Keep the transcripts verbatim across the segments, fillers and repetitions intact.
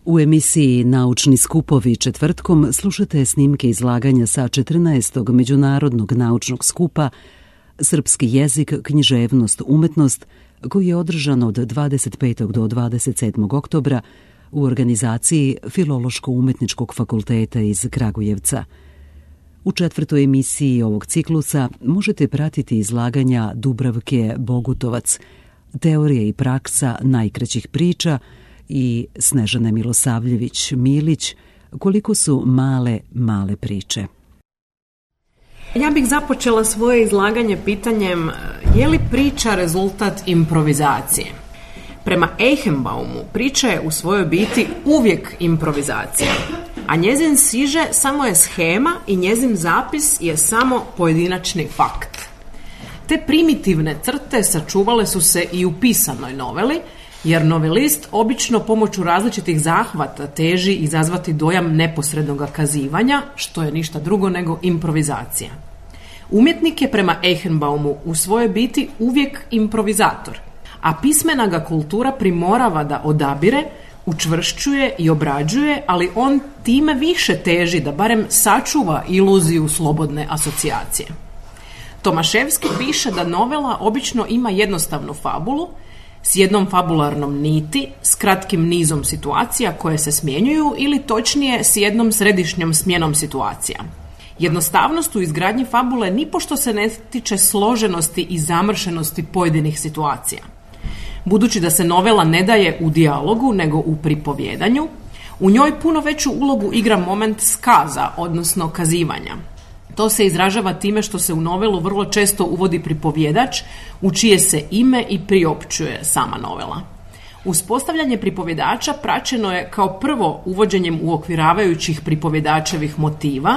U emisiji Naučni skupovi četvrtkom slušate snimke izlaganja sa četrnaestog Međunarodnog naučnog skupa Srpski jezik, književnost, umetnost, koji je održan od dvadeset petog do dvadeset sedmog oktobra u organizaciji Filološko-umetničkog fakulteta iz Kragujevca. U četvrtoj emisiji ovog ciklusa možete pratiti izlaganja Dubravke Bogutovac, Teorija i praksa najkraćih priča, i Snežane Milosavljević-Milić, Koliko su male, male priče. Ja bih započela svoje izlaganje pitanjem je li priča rezultat improvizacije? Prema Eichenbaumu priča je u svojoj biti uvijek improvizacija, a njezin siže samo je shema i njezin zapis je samo pojedinačni fakt. Te primitivne crte sačuvale su se i u pisanoj noveli, jer novelist obično pomoću različitih zahvata teži izazvati dojam neposrednog kazivanja, što je ništa drugo nego improvizacija. Umjetnik je prema Eichenbaumu u svojoj biti uvijek improvizator, a pismena ga kultura primorava da odabire, učvršćuje i obrađuje, ali on time više teži da barem sačuva iluziju slobodne asocijacije. Tomaševski piše da novela obično ima jednostavnu fabulu, s jednom fabularnom niti, s kratkim nizom situacija koje se smjenjuju ili točnije s jednom središnjom smjenom situacija. Jednostavnost u izgradnji fabule nipošto se ne tiče složenosti i zamršenosti pojedinih situacija. Budući da se novela ne daje u dijalogu nego u pripovjedanju, u njoj puno veću ulogu igra moment skaza, odnosno kazivanja. To se izražava time što se u novelu vrlo često uvodi pripovjedač u čije se ime i priopćuje sama novela. Uspostavljanje pripovjedača praćeno je kao prvo uvođenjem uokviravajućih pripovjedačevih motiva,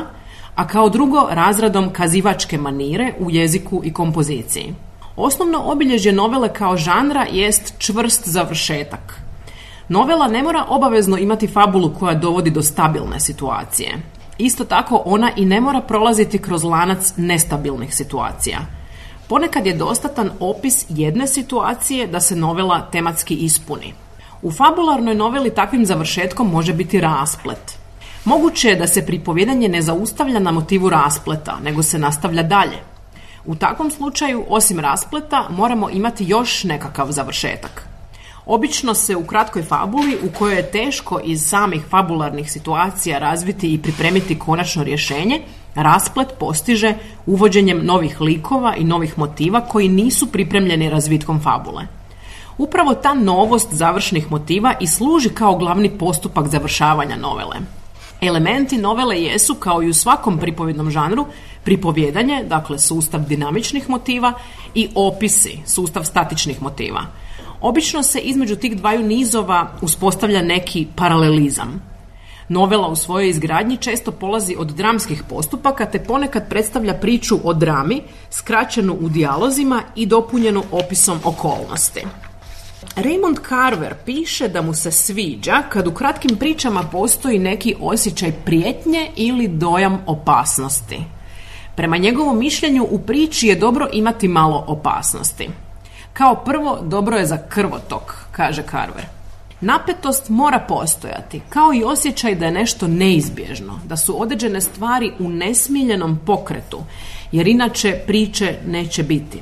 a kao drugo razradom kazivačke manire u jeziku i kompoziciji. Osnovno obilježje novele kao žanra jest čvrst završetak. Novela ne mora obavezno imati fabulu koja dovodi do stabilne situacije. Isto tako ona i ne mora prolaziti kroz lanac nestabilnih situacija. Ponekad je dostatan opis jedne situacije da se novela tematski ispuni. U fabularnoj noveli takvim završetkom može biti rasplet. Moguće je da se pripovjedanje ne zaustavlja na motivu raspleta, nego se nastavlja dalje. U takvom slučaju, osim raspleta, moramo imati još nekakav završetak. Obično se u kratkoj fabuli, u kojoj je teško iz samih fabularnih situacija razviti i pripremiti konačno rješenje, rasplet postiže uvođenjem novih likova i novih motiva koji nisu pripremljeni razvitkom fabule. Upravo ta novost završnih motiva i služi kao glavni postupak završavanja novele. Elementi novele jesu, kao i u svakom pripovjednom žanru, pripovjedanje, dakle sustav dinamičnih motiva, i opisi, sustav statičnih motiva. Obično se između tih dvaju nizova uspostavlja neki paralelizam. Novela u svojoj izgradnji često polazi od dramskih postupaka te ponekad predstavlja priču o drami, skraćenu u dijalozima i dopunjenu opisom okolnosti. Raymond Carver piše da mu se sviđa kad u kratkim pričama postoji neki osjećaj prijetnje ili dojam opasnosti. Prema njegovom mišljenju u priči je dobro imati malo opasnosti. Kao prvo, dobro je za krvotok, kaže Carver. Napetost mora postojati, kao i osjećaj da je nešto neizbježno, da su određene stvari u nesmiljenom pokretu, jer inače priče neće biti.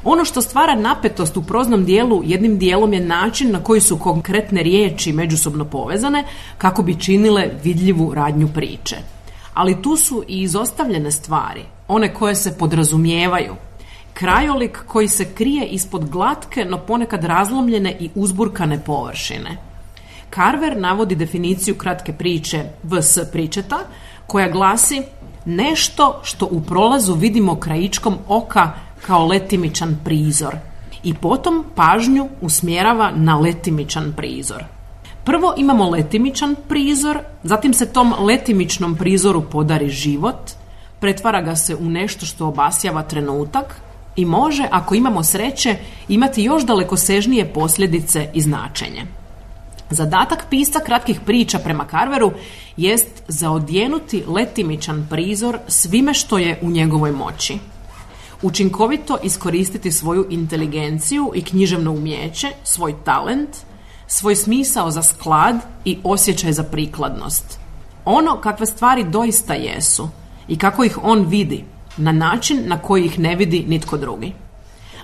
Ono što stvara napetost u proznom dijelu jednim dijelom je način na koji su konkretne riječi međusobno povezane kako bi činile vidljivu radnju priče. Ali tu su i izostavljene stvari, one koje se podrazumijevaju. Krajolik koji se krije ispod glatke, no ponekad razlomljene i uzburkane površine. Carver navodi definiciju kratke priče vs pričeta, koja glasi nešto što u prolazu vidimo krajičkom oka kao letimičan prizor i potom pažnju usmjerava na letimičan prizor. Prvo imamo letimičan prizor, zatim se tom letimičnom prizoru podari život, pretvara ga se u nešto što obasjava trenutak i može, ako imamo sreće, imati još dalekosežnije posljedice i značenje. Zadatak pisca kratkih priča prema Carveru jest zaodjenuti letimičan prizor svime što je u njegovoj moći. Učinkovito iskoristiti svoju inteligenciju i književno umijeće, svoj talent, svoj smisao za sklad i osjećaj za prikladnost. Ono kakve stvari doista jesu i kako ih on vidi, na način na koji ih ne vidi nitko drugi.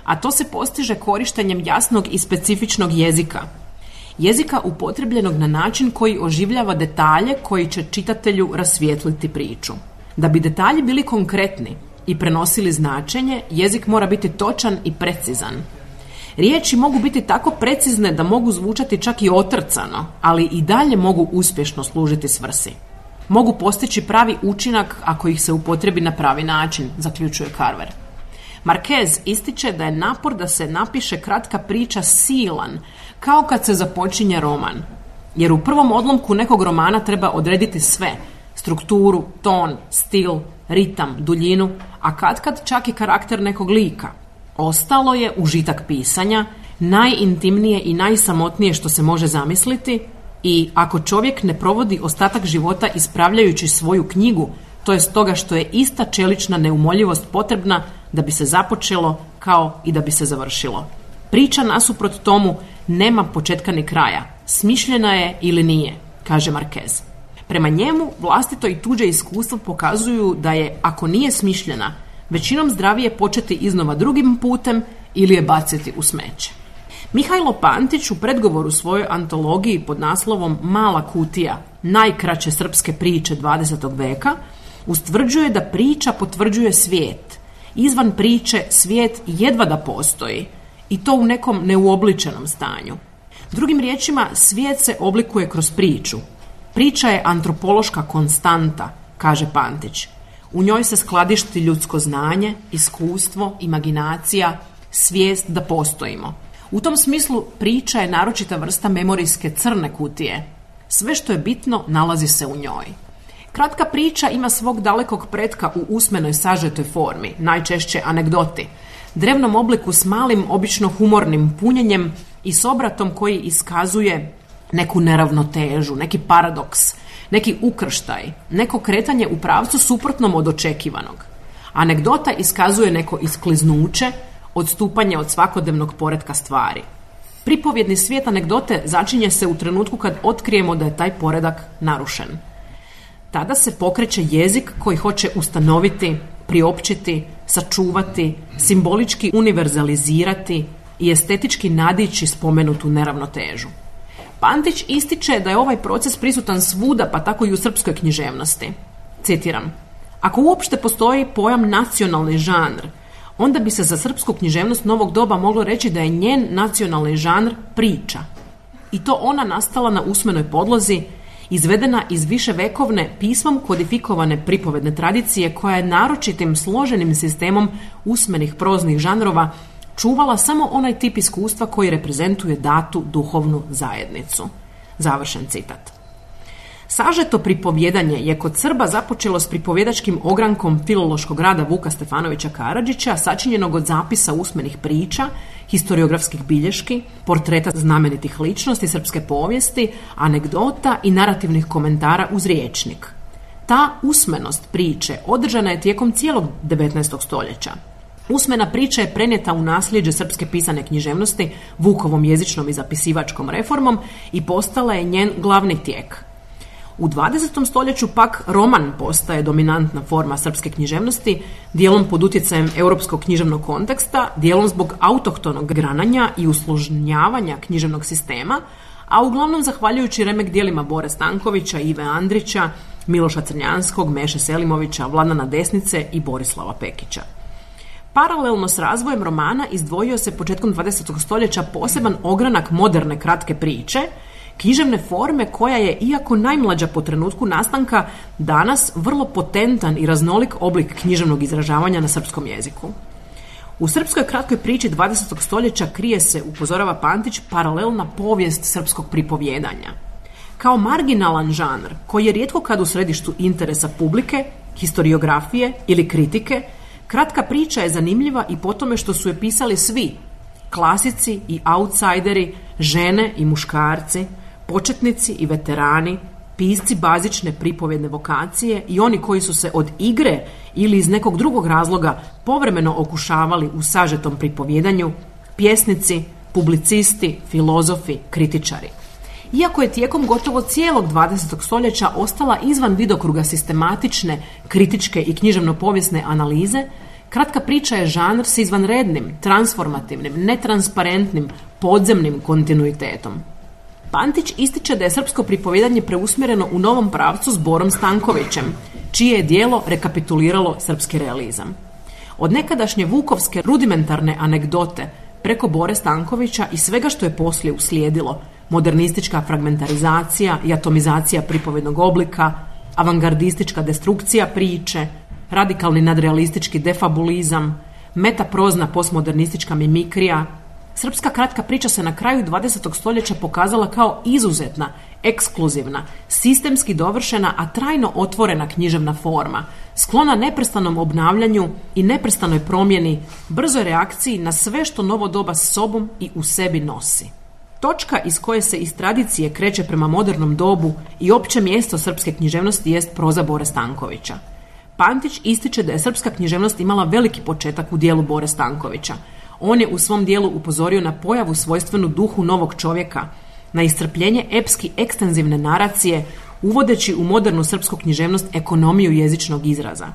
A to se postiže korištenjem jasnog i specifičnog jezika. Jezika upotrebljenog na način koji oživljava detalje koji će čitatelju rasvijetliti priču. Da bi detalji bili konkretni i prenosili značenje, jezik mora biti točan i precizan. Riječi mogu biti tako precizne da mogu zvučati čak i otrcano, ali i dalje mogu uspješno služiti svrsi. Mogu postići pravi učinak ako ih se upotrebi na pravi način, zaključuje Carver. Marquez ističe da je napor da se napiše kratka priča silan, kao kad se započinje roman. Jer u prvom odlomku nekog romana treba odrediti sve, strukturu, ton, stil, ritam, duljinu, a katkad čak i karakter nekog lika. Ostalo je užitak pisanja, najintimnije i najsamotnije što se može zamisliti, i ako čovjek ne provodi ostatak života ispravljajući svoju knjigu, to je stoga što je ista čelična neumoljivost potrebna da bi se započelo kao i da bi se završilo. Priča nasuprot tomu nema početka ni kraja, smišljena je ili nije, kaže Marquez. Prema njemu, vlastito i tuđe iskustvo pokazuju da je, ako nije smišljena, većinom zdravije početi iznova drugim putem ili je baciti u smeće. Mihajlo Pantić u predgovoru svojoj antologiji pod naslovom Mala kutija, najkraće srpske priče dvadesetog veka, ustvrđuje da priča potvrđuje svijet. Izvan priče svijet jedva da postoji, i to u nekom neuobličenom stanju. Drugim riječima, svijet se oblikuje kroz priču. Priča je antropološka konstanta, kaže Pantić. U njoj se skladišti ljudsko znanje, iskustvo, imaginacija, svijest da postojimo. U tom smislu priča je naročita vrsta memorijske crne kutije. Sve što je bitno nalazi se u njoj. Kratka priča ima svog dalekog pretka u usmenoj sažetoj formi, najčešće anegdoti, drevnom obliku s malim, obično humornim punjenjem i s obratom koji iskazuje neku neravnotežu, neki paradoks, neki ukrštaj, neko kretanje u pravcu suprotnom od očekivanog. Anegdota iskazuje neko iskliznuće, odstupanje od svakodnevnog poretka stvari. Pripovjedni svijet anegdote začinje se u trenutku kad otkrijemo da je taj poredak narušen. Tada se pokreće jezik koji hoće ustanoviti, priopćiti, sačuvati, simbolički univerzalizirati i estetički nadići spomenutu neravnotežu. Pantić ističe da je ovaj proces prisutan svuda, pa tako i u srpskoj književnosti. Citiram: ako uopšte postoji pojam nacionalni žanr, onda bi se za srpsku književnost novog doba moglo reći da je njen nacionalni žanr priča. I to ona nastala na usmenoj podlozi, izvedena iz viševekovne pismom kodifikovane pripovedne tradicije koja je naročitim složenim sistemom usmenih proznih žanrova čuvala samo onaj tip iskustva koji reprezentuje datu duhovnu zajednicu. Završen citat. Sažeto pripovjedanje je kod Srba započelo s pripovjedačkim ogrankom filološkog rada Vuka Stefanovića Karadžića, sačinjenog od zapisa usmenih priča, historiografskih bilješki, portreta znamenitih ličnosti srpske povijesti, anegdota i narativnih komentara uz riječnik. Ta usmenost priče održana je tijekom cijelog devetnaestog stoljeća. Usmena priča je prenijeta u nasljeđe srpske pisane književnosti Vukovom jezičnom i zapisivačkom reformom i postala je njen glavni tijek. U dvadesetom stoljeću pak roman postaje dominantna forma srpske književnosti, dijelom pod utjecajem europskog književnog konteksta, dijelom zbog autohtonog grananja i usložnjavanja književnog sistema, a uglavnom zahvaljujući remek dijelima Bore Stankovića, Ive Andrića, Miloša Crnjanskog, Meše Selimovića, Vladana Desnice i Borislava Pekića. Paralelno s razvojem romana izdvojio se početkom dvadesetog stoljeća poseban ogranak moderne kratke priče, književne forme koja je, iako najmlađa po trenutku nastanka, danas vrlo potentan i raznolik oblik književnog izražavanja na srpskom jeziku. U srpskoj kratkoj priči dvadesetog stoljeća krije se, upozorava Pantić, paralelna povijest srpskog pripovjedanja. Kao marginalan žanr, koji je rijetko kad u središtu interesa publike, historiografije ili kritike, kratka priča je zanimljiva i po tome što su je pisali svi, klasici i outsideri, žene i muškarci, početnici i veterani, pisci bazične pripovjedne vokacije i oni koji su se od igre ili iz nekog drugog razloga povremeno okušavali u sažetom pripovjedanju, pjesnici, publicisti, filozofi, kritičari. Iako je tijekom gotovo cijelog dvadesetog stoljeća ostala izvan vidokruga sistematične, kritičke i književno-povijesne analize, kratka priča je žanr s izvanrednim, transformativnim, netransparentnim, podzemnim kontinuitetom. Pantić ističe da je srpsko pripovijedanje preusmjereno u novom pravcu s Borom Stankovićem, čije je djelo rekapituliralo srpski realizam. Od nekadašnje vukovske rudimentarne anegdote preko Bore Stankovića i svega što je poslije uslijedilo, modernistička fragmentarizacija i atomizacija pripovednog oblika, avangardistička destrukcija priče, radikalni nadrealistički defabulizam, metaprozna postmodernistička mimikrija, srpska kratka priča se na kraju dvadesetog stoljeća pokazala kao izuzetna, ekskluzivna, sistemski dovršena, a trajno otvorena književna forma, sklona neprestanom obnavljanju i neprestanoj promjeni, brzoj reakciji na sve što novo doba s sobom i u sebi nosi. Točka iz koje se iz tradicije kreće prema modernom dobu i opće mjesto srpske književnosti jest proza Bore Stankovića. Pantić ističe da je srpska književnost imala veliki početak u dijelu Bore Stankovića. On je u svom dijelu upozorio na pojavu svojstvenu duhu novog čovjeka, na iscrpljenje epski ekstenzivne naracije, uvodeći u modernu srpsku književnost ekonomiju jezičnog izraza.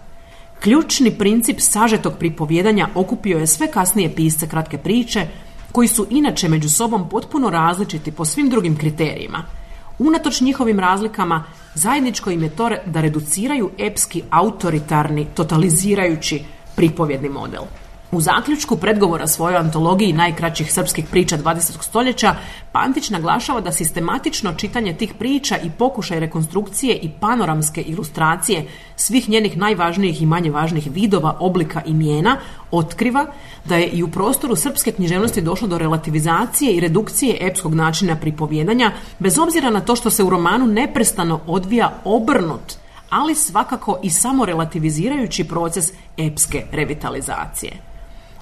Ključni princip sažetog pripovijedanja okupio je sve kasnije pisce kratke priče, koji su inače među sobom potpuno različiti po svim drugim kriterijima. Unatoč njihovim razlikama, zajedničko im je to da reduciraju epski, autoritarni, totalizirajući pripovjedni model. U zaključku predgovora svojoj antologiji najkraćih srpskih priča dvadesetog stoljeća, Pantić naglašava da sistematično čitanje tih priča i pokušaj rekonstrukcije i panoramske ilustracije svih njenih najvažnijih i manje važnih vidova, oblika i imena otkriva da je i u prostoru srpske književnosti došlo do relativizacije i redukcije epskog načina pripovijedanja, bez obzira na to što se u romanu neprestano odvija obrnut, ali svakako i samo relativizirajući proces epske revitalizacije.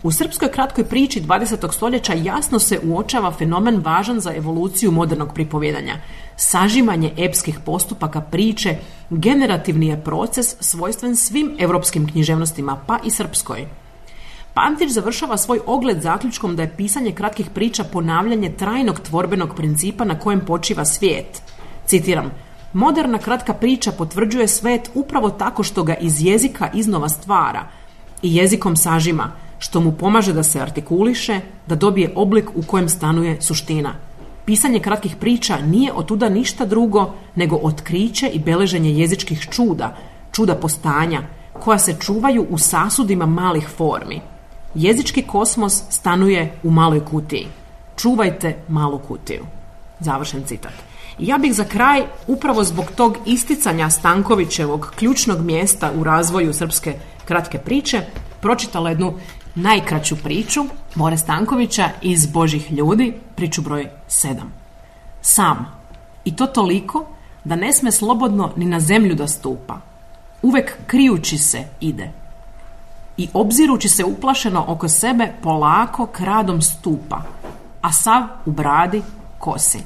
U srpskoj kratkoj priči dvadesetog stoljeća jasno se uočava fenomen važan za evoluciju modernog pripovijedanja. Sažimanje epskih postupaka priče generativni je proces svojstven svim europskim književnostima, pa i srpskoj. Pantić završava svoj ogled zaključkom da je pisanje kratkih priča ponavljanje trajnog tvorbenog principa na kojem počiva svijet. Citiram: moderna kratka priča potvrđuje svijet upravo tako što ga iz jezika iznova stvara i jezikom sažima, što mu pomaže da se artikuliše, da dobije oblik u kojem stanuje suština. Pisanje kratkih priča nije otuda ništa drugo nego otkriće i beleženje jezičkih čuda, čuda postanja, koja se čuvaju u sasudima malih formi. Jezički kosmos stanuje u maloj kutiji. Čuvajte malu kutiju. Završen citat. Ja bih za kraj, upravo zbog tog isticanja Stankovićevog ključnog mjesta u razvoju srpske kratke priče, pročitala jednu najkraću priču Bore Stankovića iz Božjih ljudi, priču broj sedam. Sam, i to toliko da ne sme slobodno ni na zemlju da stupa. Uvek krijući se ide. I obzirući se uplašeno oko sebe, polako kradom stupa, a sav u bradi kosi.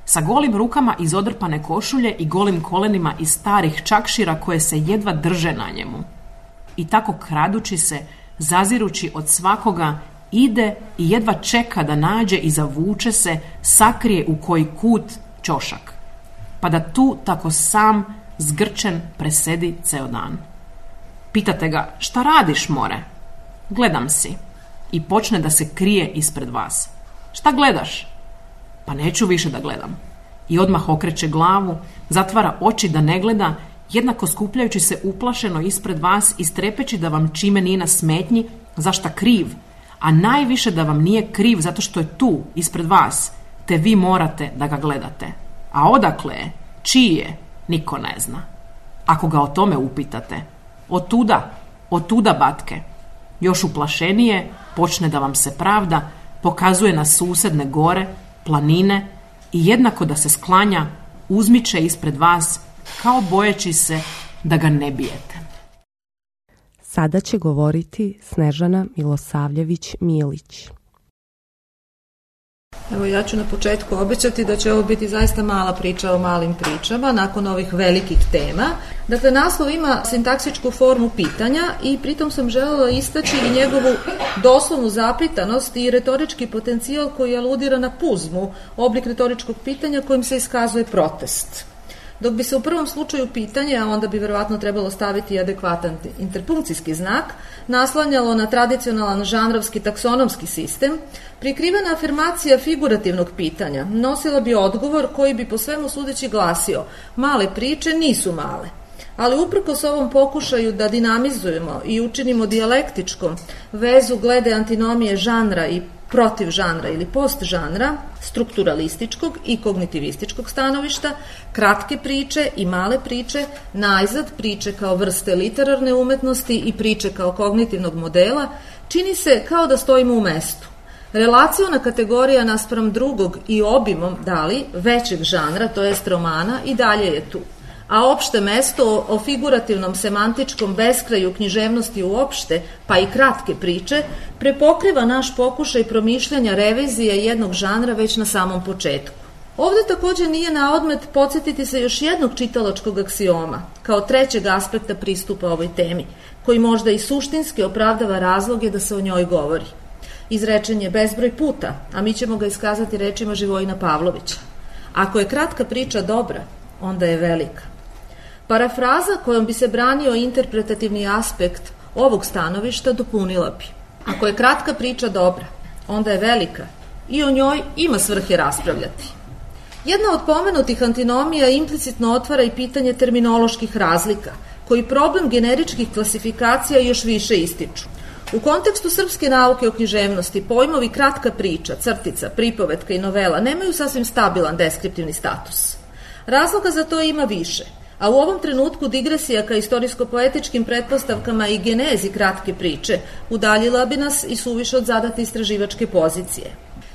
Sa golim rukama iz odrpane košulje i golim kolenima iz starih čakšira koje se jedva drže na njemu. I tako kradući se, zazirući od svakoga, ide i jedva čeka da nađe i zavuče se, sakrije u koji kut ćošak, pa da tu tako sam zgrčen presedi ceo dan. Pitate ga: šta radiš, more? Gledam si. I počne da se krije ispred vas. Šta gledaš? Pa neću više da gledam. I odmah okreće glavu, zatvara oči da ne gleda, jednako skupljajući se uplašeno ispred vas i strepeći da vam čime nije na smetnji, zašta kriv, a najviše da vam nije kriv zato što je tu, ispred vas, te vi morate da ga gledate. A odakle je, čiji je, niko ne zna. Ako ga o tome upitate: otuda, otuda, batke. Još uplašenije počne da vam se pravda, pokazuje na susedne gore, planine i jednako da se sklanja, uzmiče ispred vas, kao bojeći se da ga ne bijete. Sada će govoriti Snežana Milosavljević-Milić. Evo, ja ću na početku obećati da će ovo biti zaista mala priča o malim pričama nakon ovih velikih tema. Dakle, naslov ima sintaksičku formu pitanja i pritom sam željela istaći i njegovu doslovnu zapitanost i retorički potencijal koji aludira na puzmu, oblik retoričkog pitanja kojim se iskazuje protest. Dok bi se u prvom slučaju pitanje, a onda bi verovatno trebalo staviti adekvatan interpunkcijski znak, naslanjalo na tradicionalan žanrovski taksonomski sistem, prikrivena afirmacija figurativnog pitanja nosila bi odgovor koji bi po svemu sudeći glasio: male priče nisu male. Ali uprkos ovom pokušaju da dinamizujemo i učinimo dijalektičkom vezu glede antinomije žanra i protiv žanra ili post žanra, strukturalističkog i kognitivističkog stanovišta, kratke priče i male priče, najzad priče kao vrste literarne umetnosti i priče kao kognitivnog modela, čini se kao da stojimo u mestu. Relaciona kategorija naspram drugog i obimom, dali, većeg žanra, to jest romana, i dalje je tu. A opšte mesto o figurativnom semantičkom beskraju književnosti uopšte, pa i kratke priče, prepokriva naš pokušaj promišljanja revizije jednog žanra već na samom početku. Ovde takođe nije na odmet podsjetiti se još jednog čitalačkog aksioma, kao trećeg aspekta pristupa ovoj temi, koji možda i suštinski opravdava razloge da se o njoj govori. Izrečen je bezbroj puta, a mi ćemo ga iskazati rečima Živojina Pavlovića. Ako je kratka priča dobra, onda je velika. Parafraza kojom bi se branio interpretativni aspekt ovog stanovišta dopunila bi: ako je kratka priča dobra, onda je velika i o njoj ima svrhe raspravljati. Jedna od pomenutih antinomija implicitno otvara i pitanje terminoloških razlika, koji problem generičkih klasifikacija još više ističu. U kontekstu srpske nauke o književnosti pojmovi kratka priča, crtica, pripovetka i novela nemaju sasvim stabilan deskriptivni status. Razloga za to ima više, a u ovom trenutku digresija ka istorijsko-poetičkim pretpostavkama i genezi kratke priče udaljila bi nas i suviše od zadate istraživačke pozicije.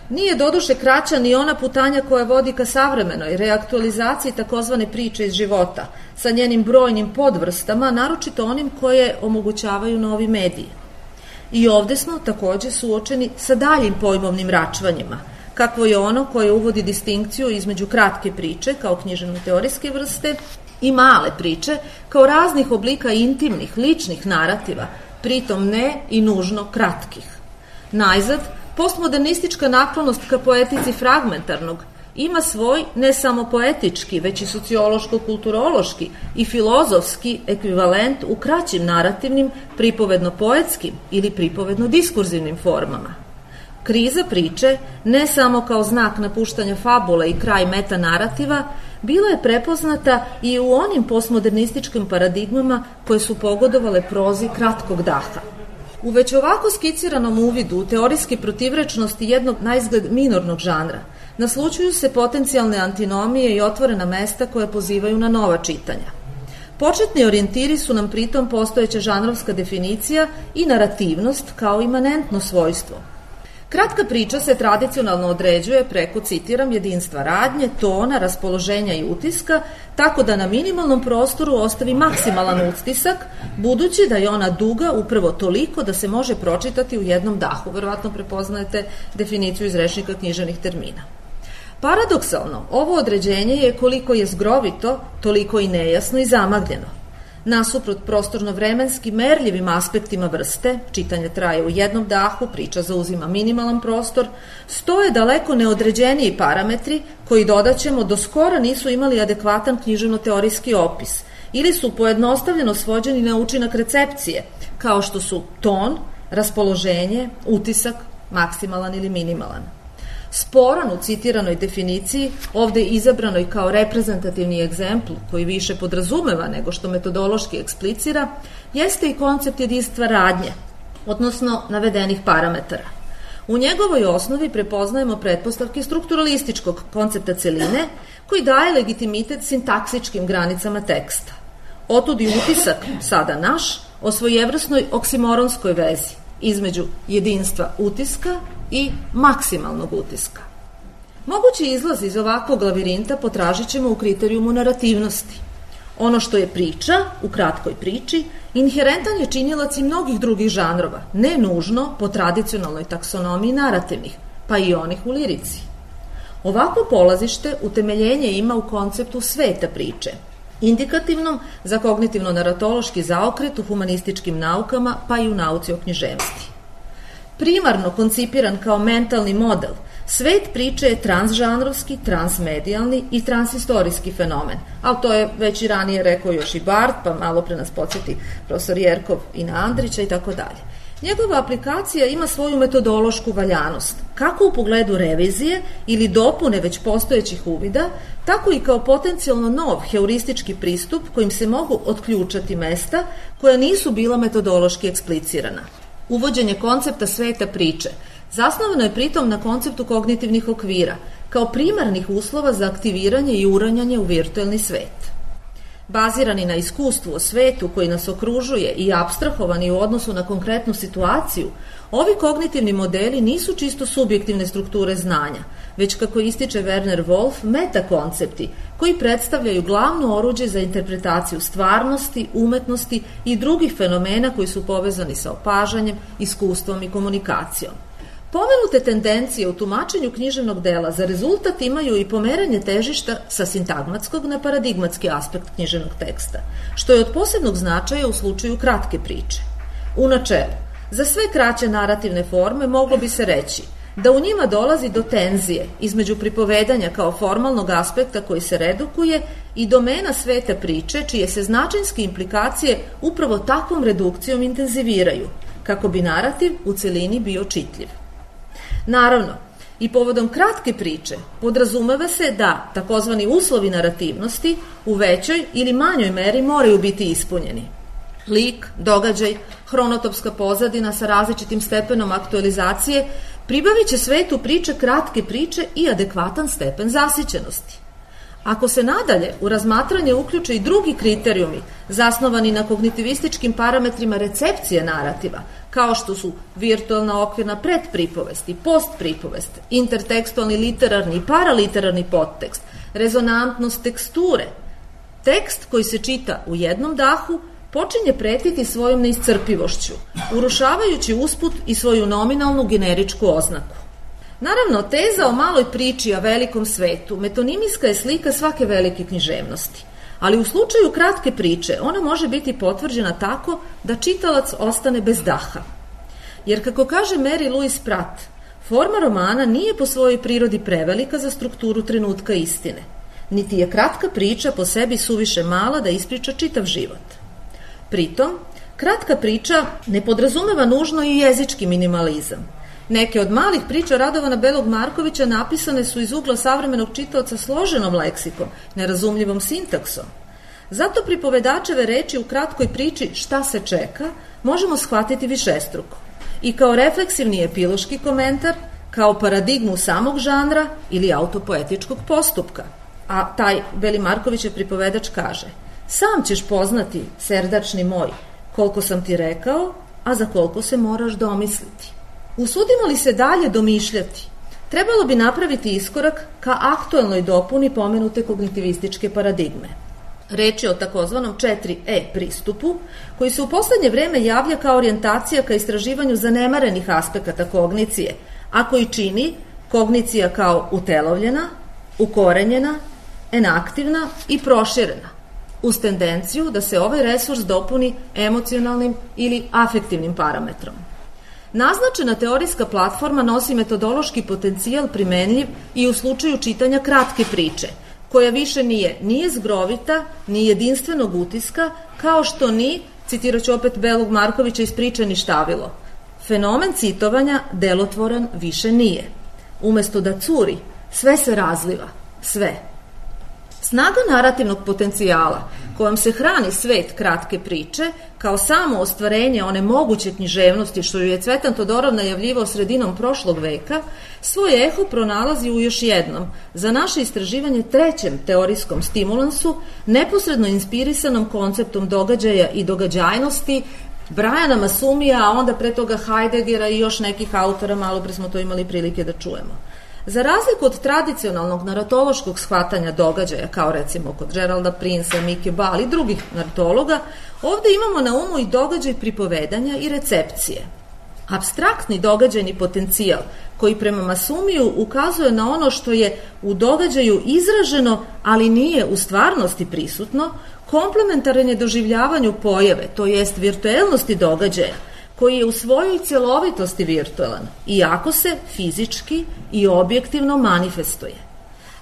Nije doduše kraća ni ona putanja koja vodi ka savremenoj reaktualizaciji takozvane priče iz života, sa njenim brojnim podvrstama, naročito onim koje omogućavaju novi mediji. I ovde smo takođe suočeni sa daljim pojmovnim račvanjima, kakvo je ono koje uvodi distinkciju između kratke priče kao književno-teorijske vrste i male priče kao raznih oblika intimnih, ličnih narativa, pritom ne i nužno kratkih. Najzad, postmodernistička naklonost ka poetici fragmentarnog ima svoj ne samo poetički, već i sociološko-kulturološki i filozofski ekvivalent u kraćim narativnim, pripovedno-poetskim ili pripovedno-diskurzivnim formama. Kriza priče, ne samo kao znak napuštanja fabule i kraj metanarativa, bila je prepoznata i u onim postmodernističkim paradigmama koje su pogodovale prozi kratkog daha. U već ovako skiciranom uvidu u teorijske protivrečnosti jednog naizgled minornog žanra naslučuju se potencijalne antinomije i otvorena mesta koje pozivaju na nova čitanja. Početni orijentiri su nam pritom postojeća žanrovska definicija i narativnost kao imanentno svojstvo. Kratka priča se tradicionalno određuje preko, citiram, jedinstva radnje, tona, raspoloženja i utiska, tako da na minimalnom prostoru ostavi maksimalan utisak, budući da je ona duga upravo toliko da se može pročitati u jednom dahu. Verovatno prepoznajete definiciju iz rečnika književnih termina. Paradoksalno, ovo određenje je koliko je zgrovito, toliko i nejasno i zamagljeno. Nasuprot prostorno-vremenski merljivim aspektima vrste, čitanje traje u jednom dahu, priča zauzima minimalan prostor, stoje daleko neodređeniji parametri koji, dodaćemo, do skora nisu imali adekvatan književno-teorijski opis ili su pojednostavljeno svođeni na učinak recepcije, kao što su ton, raspoloženje, utisak, maksimalan ili minimalan. Sporan u citiranoj definiciji, ovde izabranoj kao reprezentativni egzempl koji više podrazumeva nego što metodološki eksplicira, jeste i koncept jedinstva radnje, odnosno navedenih parametara. U njegovoj osnovi prepoznajemo pretpostavke strukturalističkog koncepta celine koji daje legitimitet sintaksičkim granicama teksta. Otud i utisak, sada naš, o svojevrsnoj oksimoronskoj vezi između jedinstva utiska i maksimalnog utiska. Mogući izlaz iz ovakvog lavirinta potražit ćemo u kriterijumu narativnosti. Ono što je priča, u kratkoj priči, inherentan je činilac i mnogih drugih žanrova, ne nužno po tradicionalnoj taksonomiji narativnih, pa i onih u lirici. Ovako polazište utemeljenje ima u konceptu sveta priče, indikativnom za kognitivno-naratološki zaokret u humanističkim naukama pa i u nauci o književnosti. Primarno koncipiran kao mentalni model, svet priče je transžanrovski, transmedijalni i transhistorijski fenomen, ali to je već i ranije rekao još i Barth, pa malo pre nas podsjeti profesor Jerkov i na Andrića i tako dalje. Njegova aplikacija ima svoju metodološku valjanost, kako u pogledu revizije ili dopune već postojećih uvida, tako i kao potencijalno nov heuristički pristup kojim se mogu otključati mesta koja nisu bila metodološki eksplicirana. Uvođenje koncepta sveta priče zasnovano je pritom na konceptu kognitivnih okvira, kao primarnih uslova za aktiviranje i uranjanje u virtuelni svet. Bazirani na iskustvu o svetu koji nas okružuje i apstrahovani u odnosu na konkretnu situaciju, ovi kognitivni modeli nisu čisto subjektivne strukture znanja, već, kako ističe Werner Wolf, metakoncepti koji predstavljaju glavno oruđe za interpretaciju stvarnosti, umetnosti i drugih fenomena koji su povezani sa opažanjem, iskustvom i komunikacijom. Pomenute tendencije u tumačenju književnog dela za rezultat imaju i pomeranje težišta sa sintagmatskog na paradigmatski aspekt književnog teksta, što je od posebnog značaja u slučaju kratke priče. U načelu, za sve kraće narativne forme moglo bi se reći da u njima dolazi do tenzije između pripovedanja kao formalnog aspekta koji se redukuje i domena sveta priče, čije se značajske implikacije upravo takvom redukcijom intenziviraju, kako bi narativ u celini bio čitljiv. Naravno, i povodom kratke priče podrazumeva se da takozvani uslovi narativnosti u većoj ili manjoj meri moraju biti ispunjeni. Lik, događaj, hronotopska pozadina sa različitim stepenom aktualizacije pribavit će svetu priče kratke priče i adekvatan stepen zasićenosti. Ako se nadalje u razmatranje uključe i drugi kriterijumi zasnovani na kognitivističkim parametrima recepcije narativa, kao što su virtualna okvirna predpripovest i postpripovest, intertekstualni literarni i paraliterarni podtekst, rezonantnost teksture, tekst koji se čita u jednom dahu počinje pretiti svojom neiscrpivošću, urušavajući usput i svoju nominalnu generičku oznaku. Naravno, teza o maloj priči, a velikom svetu, metonimijska je slika svake velike književnosti, ali u slučaju kratke priče ona može biti potvrđena tako da čitalac ostane bez daha. Jer, kako kaže Mary Louise Pratt, forma romana nije po svojoj prirodi prevelika za strukturu trenutka istine, niti je kratka priča po sebi suviše mala da ispriča čitav život. Pritom, kratka priča ne podrazumeva nužno i jezički minimalizam. Neke od malih priča Radovana Belog Markovića napisane su iz ugla savremenog čitaoca složenom leksikom, nerazumljivom sintaksom. Zato pripovedačeve reči u kratkoj priči Šta se čeka možemo shvatiti višestruko. I kao refleksivni epiloški komentar, kao paradigmu samog žanra ili autopoetičkog postupka. A taj Beli Markovićev pripovedač kaže: sam ćeš poznati, serdačni moj, koliko sam ti rekao, a za koliko se moraš domisliti. Usudimo li se dalje domišljati, trebalo bi napraviti iskorak ka aktuelnoj dopuni pomenute kognitivističke paradigme. Reč je o takozvanom četiri E pristupu, koji se u poslednje vreme javlja kao orijentacija ka istraživanju zanemarenih aspekata kognicije, a koji čini kognicija kao utelovljena, ukorenjena, enaktivna i proširena, uz tendenciju da se ovaj resurs dopuni emocionalnim ili afektivnim parametrom. Naznačena teorijska platforma nosi metodološki potencijal primenljiv i u slučaju čitanja kratke priče, koja više nije ni jezgrovita, ni jedinstvenog utiska, kao što ni, citirat ću opet Belog Markovića iz priče Ništavilo, fenomen citovanja delotvoran više nije. Umesto da curi, sve se razliva, sve. Snaga narativnog potencijala kojom se hrani svet kratke priče, kao samo ostvarenje one moguće književnosti što ju je Cvetan Todorov najavljivao sredinom prošlog veka, svoj eho pronalazi u još jednom, za naše istraživanje trećem teorijskom stimulansu, neposredno inspirisanom konceptom događaja i događajnosti Briana Masumija, a onda pre toga Heideggera i još nekih autora, malo pre smo to imali prilike da čujemo. Za razliku od tradicionalnog naratološkog shvatanja događaja, kao recimo kod Geralda Prinsa, Mike Ball i drugih naratologa, ovde imamo na umu i događaj pripovedanja i recepcije. Apstraktni događajni potencijal koji prema Masumiju ukazuje na ono što je u događaju izraženo, ali nije u stvarnosti prisutno, komplementaran je doživljavanju pojave, to jest virtuelnosti događaja, koji je u svojoj cjelovitosti virtualan, iako se fizički i objektivno manifestuje.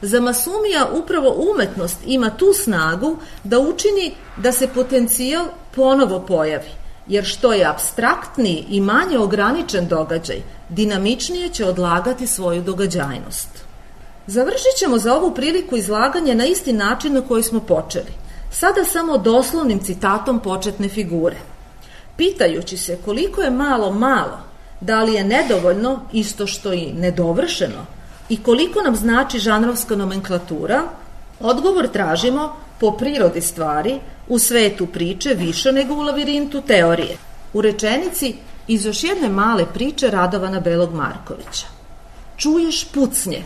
Za Masumija upravo umetnost ima tu snagu da učini da se potencijal ponovo pojavi, jer što je apstraktniji i manje ograničen događaj, dinamičnije će odlagati svoju događajnost. Završit ćemo za ovu priliku izlaganje na isti način na koji smo počeli, sada samo doslovnim citatom početne figure. Pitajući se koliko je malo malo, da li je nedovoljno isto što i nedovršeno i koliko nam znači žanrovska nomenklatura, odgovor tražimo po prirodi stvari u svetu priče više nego u lavirintu teorije. U rečenici iz još jedne male priče Radovana Belog Markovića. Čuješ pucnje,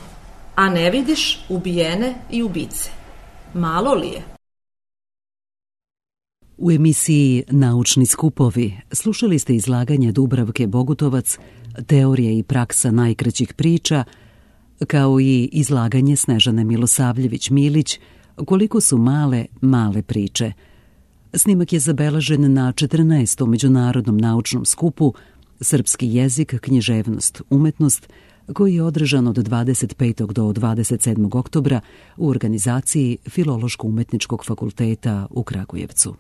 a ne vidiš ubijene i ubice. Malo li je? U emisiji Naučni skupovi slušali ste izlaganje Dubravke Bogutovac, Teorija i praksa najkraćih priča, kao i izlaganje Snežane Milosavljević-Milić, Koliko su male, male priče. Snimak je zabeležen na četrnaestom Međunarodnom naučnom skupu Srpski jezik, književnost, umetnost, koji je održan od dvadeset petog do dvadeset sedmog oktobra u organizaciji Filološko-umetničkog fakulteta u Kragujevcu.